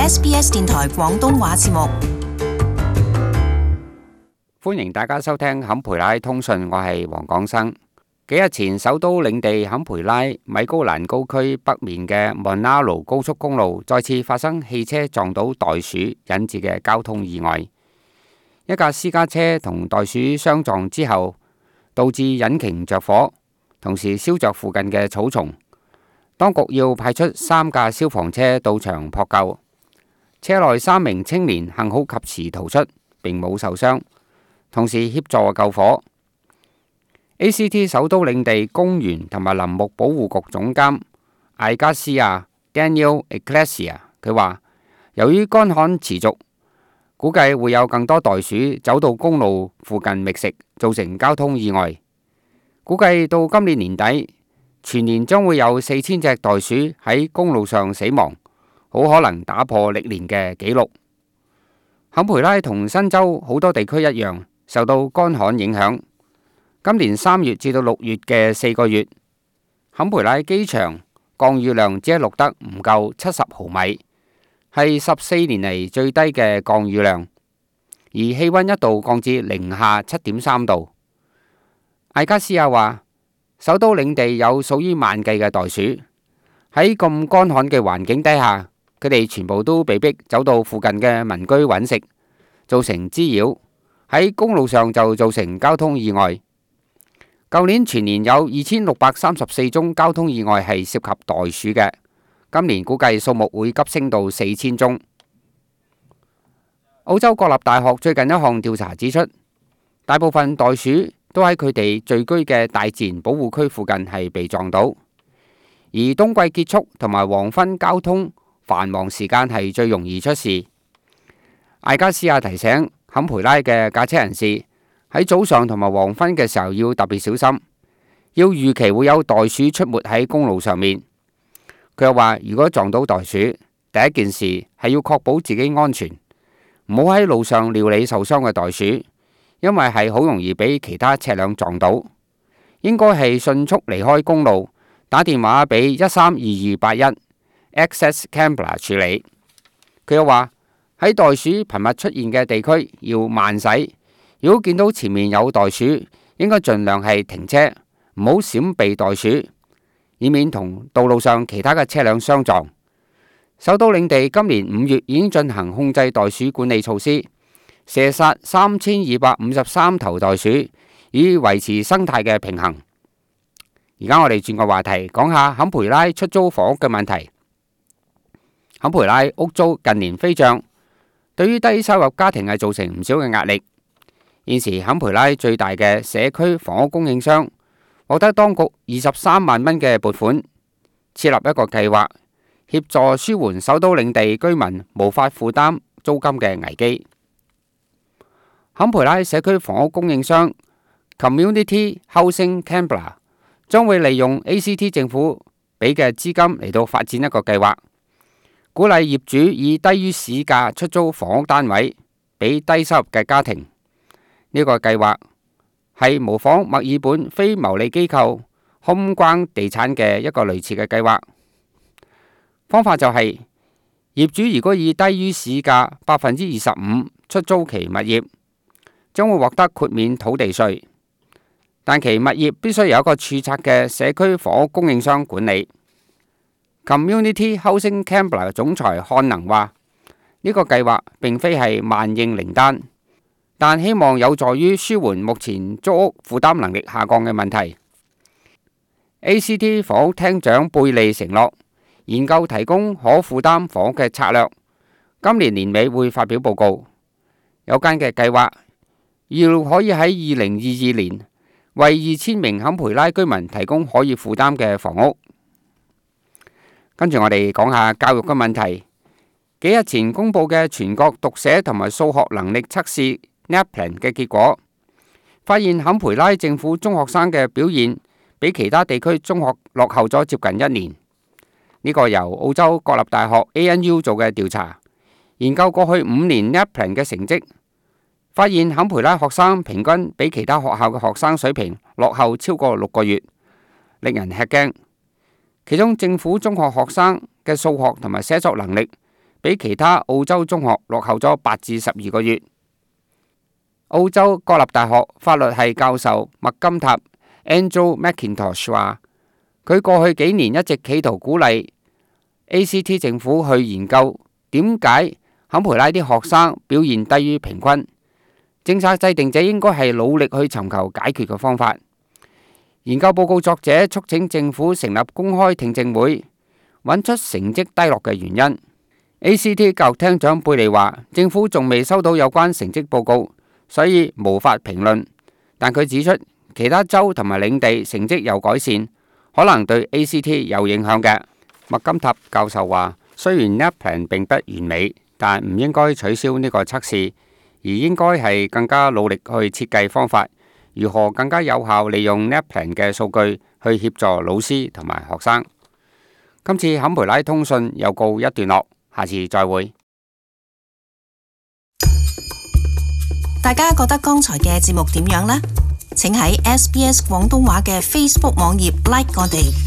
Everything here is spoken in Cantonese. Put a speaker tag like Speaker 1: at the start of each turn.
Speaker 1: SBS 電台廣東話節目。
Speaker 2: 歡迎大家收聽坎培拉通訊，我係黃廣生。幾日前，首都領地坎培拉米高蘭高區北面嘅蒙拿盧高速公路再次發生汽車撞到袋鼠引致嘅交通意外。一架私家車同袋鼠相撞之後，導致引擎着火，同時燒着附近嘅草叢。當局要派出3架消防車到場撲救。車內3名青年幸好及時逃出，並冇受傷，同時協助救火。ACT 首都領地公園同埋林木保護局總監艾加斯亞 Daniel Ecclesia 佢話，由於乾旱持續，估計會有更多袋鼠走到公路附近覓食，造成交通意外。估計到今年年底，全年將會有4000隻袋鼠喺公路上死亡，好可能打破歷年嘅紀錄。坎培拉同新州好多地區一樣，受到乾旱影響。今年3月至到6月嘅4個月，坎培拉機場降雨量只係錄得唔夠70毫米，係14年嚟最低嘅降雨量，而氣溫一度降至零下7.3度。艾加斯亞話，首都領地有數以萬計嘅袋鼠，喺咁乾旱嘅環境底下，佢哋全部都被逼走到附近嘅民居揾食，造成滋擾，喺公路上就造成交通意外。舊年全年有2634宗交通意外係涉及袋鼠嘅，今年估計數目會急升到4000宗。澳洲國立大學最近一項調查指出，大部分袋鼠都喺佢哋聚居嘅大自然保護區附近係被撞到，而冬季結束同埋黃昏交通繁忙時間係最容易出事。艾加斯亞提醒坎培拉嘅駕車人士，喺早上同埋黃昏嘅時候要特別小心，要預期會有袋鼠出沒喺公路上面。佢又話，如果撞到袋鼠，第一件事係要確保自己安全，唔好喺路上料理受傷嘅袋鼠，因為係好容易俾其他車輛撞到。應該係迅速離開公路，打電話俾132281 Access Canberra 處理。佢又話，喺袋鼠頻密出現嘅地區要慢駛。如果見到前面有袋鼠，應該盡量係停車，唔好閃避袋鼠，以免同道路上其他嘅車輛相撞。首都領地今年5月已經進行控制袋鼠管理措施，射殺3253頭袋鼠，以維持生態嘅平衡。而家我哋轉個話題，講下坎培拉出租房屋嘅問題。坎培拉屋租近年飛漲，對於低收入家庭係造成唔少嘅壓力。現時坎培拉最大嘅社區房屋供應商獲得當局23萬蚊嘅撥款，設立一個計劃，協助舒緩首都領地居民無法負擔租金嘅危機。坎培拉社區房屋供應商 Community Housing Canberra 將會利用 ACT 政府俾嘅資金嚟到發展一個計劃，鼓勵業主以低於市價出租房屋單位俾低收入嘅家庭。呢個計劃係模仿墨爾本非牟利機構 Homeground 地產嘅一個類似嘅計劃。方法就係，業主如果以低於市價25%出租其物業，將會獲得豁免土地稅，但其物業必須由一個註冊嘅社區房屋供應商管理。Community Housing Canberra 嘅總裁漢能話，呢個計劃並非係萬應靈丹，但希望有助於舒緩目前租屋負擔能力下降嘅問題。ACT 房屋廳長貝利承諾，研究提供可負擔房屋嘅策略，今年年尾會發表報告。有關嘅計劃要可以喺2022年為2000名坎培拉居民提供可以負擔嘅房屋。跟住我哋講下教育嘅問題。幾日前公布嘅全國讀寫同埋數學能力測試NAPLAN 嘅結果，發現坎培拉政府中學生嘅表現比其他地區中學落後咗接近1年。呢個由澳洲國立大學 ANU 做嘅調查，研究過去5年 NAPLAN 嘅成績，發現坎培拉學生平均比其他學校嘅學生水平落後超過6個月，令人吃驚。其中政府中學學生嘅數學同埋寫作能力比其他澳洲中學落後咗8至12個月。澳洲國立大學法律系教授麥金塔 Andrew McIntosh 話，佢過去幾年一直企圖鼓勵 ACT 政府去研究點解坎培拉啲學生表現低於平均。政策制定者應該係努力去尋求解決嘅方法。研究報告作者促請政府成立公開聽證會，揾出成績低落嘅原因。ACT 教育廳長貝利話，政府仲未收到有關成績報告，所以無法評論。但佢指出，其他州同埋領地成績有改善，可能對 ACT 有影響嘅。麥金塔教授話，雖然 NAPLAN 並不完美，但唔應該取消呢個測試，而應該係更加努力去設計方法，如何更加有效利用 NAPLAN 嘅數據去協助老師同埋學生。今次坎培拉通訊又告一段落，下次再會。
Speaker 1: 大家覺得剛才嘅節目點樣呢？請喺SBS 廣東話嘅 Facebook 網頁 like 我哋。